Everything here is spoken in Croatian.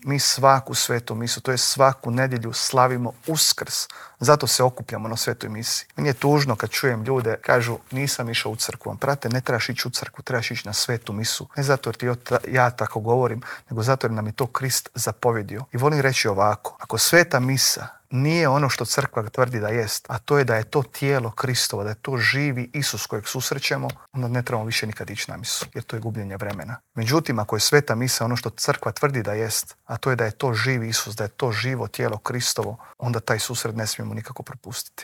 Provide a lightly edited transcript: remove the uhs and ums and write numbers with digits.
Mi svaku svetu misu, to je svaku nedjelju slavimo Uskrs. Zato se okupljamo na svetoj misi. Meni je tužno kad čujem ljude, kažu nisam išao u crkvu. Prate, ne trebaš ići u crkvu, trebaš ići na svetu misu. Ne zato jer ja tako govorim, nego zato jer nam je to Krist zapovjedio. I volim reći ovako, ako sveta misa nije ono što crkva tvrdi da jest, a to je da je to tijelo Kristovo, da je to živi Isus kojeg susrećemo, onda ne trebamo više nikad ići na misu, jer to je gubljenje vremena. Međutim, ako je sveta misa ono što crkva tvrdi da jest, a to je da je to živi Isus, da je to živo tijelo Kristovo, onda taj susret ne smijemo nikako propustiti.